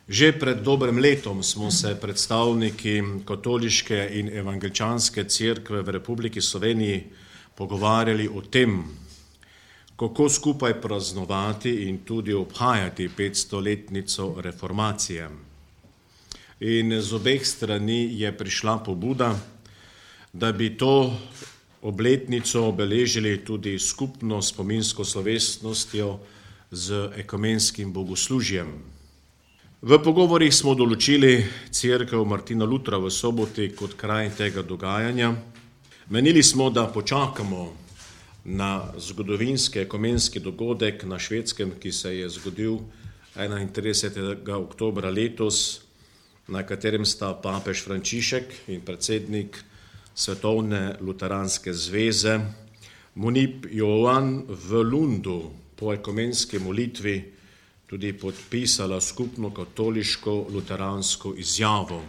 Že pred dobrim letom smo se predstavniki katoliške in evangeličanske cerkve v Republiki Sloveniji pogovarjali o tem, kako skupaj praznovati in tudi obhajati 500-letnico reformacije. In z obeh strani je prišla pobuda, da bi to obletnico obeležili tudi skupno spominsko slovesnostjo z ekumenskim bogoslužjem. V pogovorih smo določili cerkev Martina Lutra v Soboti kot kraj tega dogajanja. Menili smo, da počakamo na zgodovinski ekumenski dogodek na Švedskem, ki se je zgodil 31. oktobra letos, na katerem sta papež Frančišek in predsednik Svetovne luteranske zveze Munib Joan v Lundu po ekumenski molitvi tudi podpisala skupno katoliško luteransko izjavo.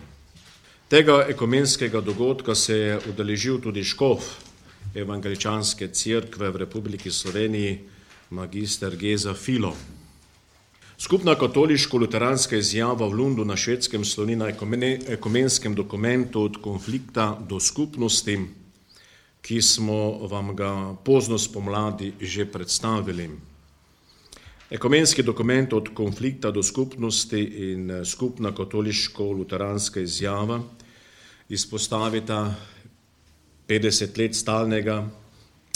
Tega ekumenskega dogodka se je udeležil tudi škof evangeličanske cerkve v Republiki Sloveniji, magister Geza Filo. Skupna katoliško-luteranska izjava v Lundu na Švedskem sloni na ekumenskem dokumentu od konflikta do skupnosti, ki smo vam ga pozno spomladi že predstavili. Ekumenski dokument od konflikta do skupnosti in skupna katoliško-luteranska izjava izpostavita 50 let stalnega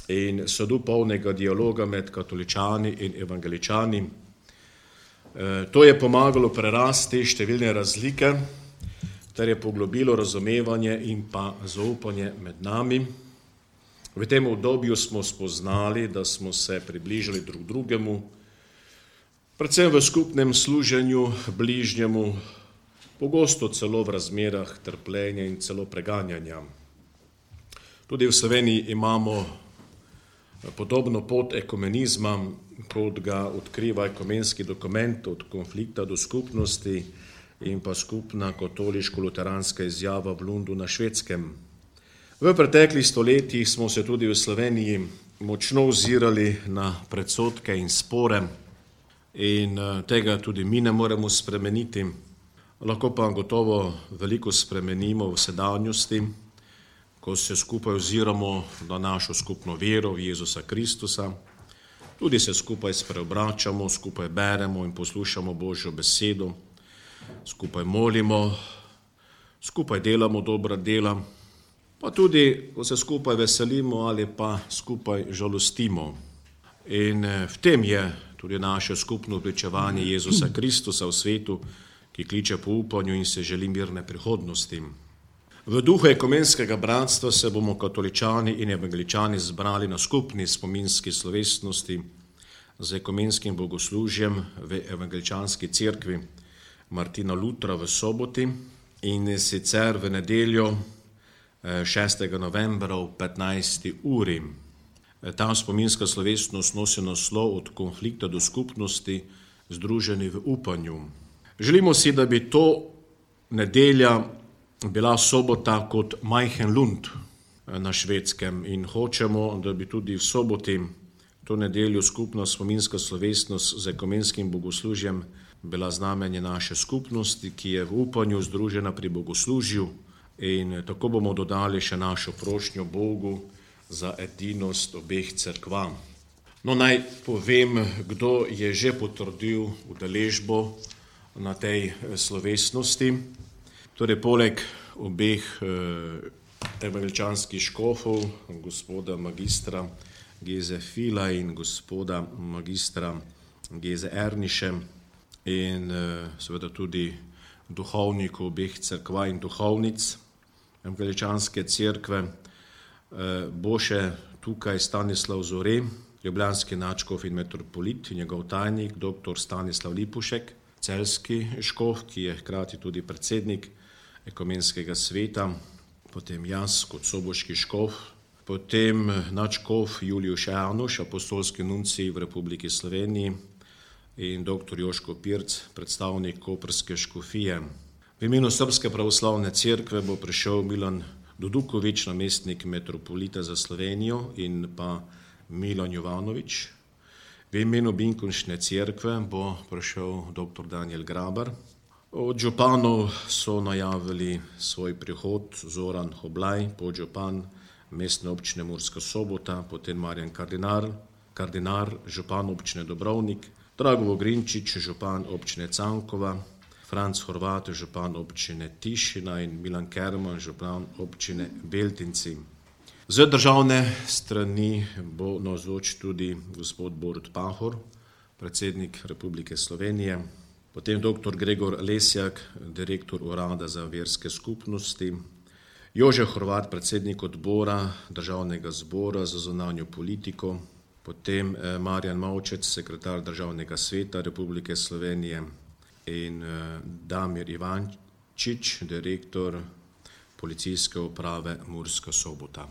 in sadopolnega dialoga med katoličani in evangeličani. To je pomagalo prerasti številne razlike, ter je poglobilo razumevanje in pa zaupanje med nami. V tem obdobju smo spoznali, da smo se približali drug drugemu, predvsem v skupnem služenju bližnjemu, pogosto celo v razmerah trpljenja in celo preganjanja. Tudi v Sloveniji imamo podobno pot ekumenizma, kot ga odkriva ekumenski dokument od konflikta do skupnosti in pa skupna katoliško-luteranska izjava v Lundu na Švedskem. V preteklih stoletjih smo se tudi v Sloveniji močno ozirali na predsodke in spore in tega tudi mi ne moremo spremeniti. Lahko pa gotovo veliko spremenimo v sedanjosti, ko se skupaj oziramo na našo skupno vero v Jezusa Kristusa, tudi se skupaj spreobračamo, skupaj beremo in poslušamo Božjo besedo, skupaj molimo, skupaj delamo dobra dela, pa tudi, ko se skupaj veselimo ali pa skupaj žalostimo. In v tem je tudi naše skupno pričevanje Jezusa Kristusa v svetu, ki kliče po upanju in se želi mirne prihodnosti. V duhu ekumenskega bratstva se bomo katoličani in evangeličani zbrali na skupni spominski slovesnosti z ekumenskim bogoslužjem v evangeličanski cerkvi Martina Lutra v Soboti in sicer v nedeljo 6. novembra ob 15. uri. Ta spominska slovesnost nosi naslov od konflikta do skupnosti, združeni v upanju. Želimo si, da bi to nedelja bila sobota kot majhen Lund na Švedskem in hočemo, da bi tudi v soboti to nedeljo skupna spominska slovesnost z ekumenskim bogoslužjem bila znamenje naše skupnosti, ki je v upanju združena pri bogoslužju in tako bomo dodali še našo prošnjo Bogu za edinost obeh cerkva. No, naj povem, kdo je že potrdil udeležbo na tej slovesnosti. Torej, poleg obeh evangeličanskih škofov, gospoda magistra Geze Fila in gospoda magistra Geze Erniše in seveda tudi duhovnikov obeh cerkva in duhovnic evangeličanske cerkve, bo še tukaj Stanislav Zore, ljubljanski nadškof in metropolit, njegov tajnik, dr. Stanislav Lipušek, celjski škof, ki je hkrati tudi predsednik ekumenskega sveta, potem jaz kot soboški škof, potem nadškof Juliuš Januš, apostolski nuncij v Republiki Sloveniji in dr. Joško Pirc, predstavnik koprske škofije. V imenu Srpske pravoslavne cerkve bo prišel Milan Dudukovič, namestnik metropolita za Slovenijo in pa Milan Jovanovič. V imenu Binkončne cerkve bo prišel dr. Daniel Grabar, Od županov so najavili svoj prihod Zoran Hoblaj, podžupan Mestne občine Murska Sobota, potem Marjan Kardinar, župan občine Dobrovnik, Drago Vogrinčič, župan občine Cankova, Franc Horvat, župan občine Tišina in Milan Kerman, župan občine Beltinci. Z državne strani bo navzoč tudi gospod Borut Pahor, predsednik Republike Slovenije, potem dr. Gregor Lesjak, direktor Urada za verske skupnosti, Jožef Horvat, predsednik odbora Državnega zbora za zunanjo politiko, potem Marjan Maučec, sekretar Državnega sveta Republike Slovenije in Damir Ivančič, direktor Policijske uprave Murska Sobota.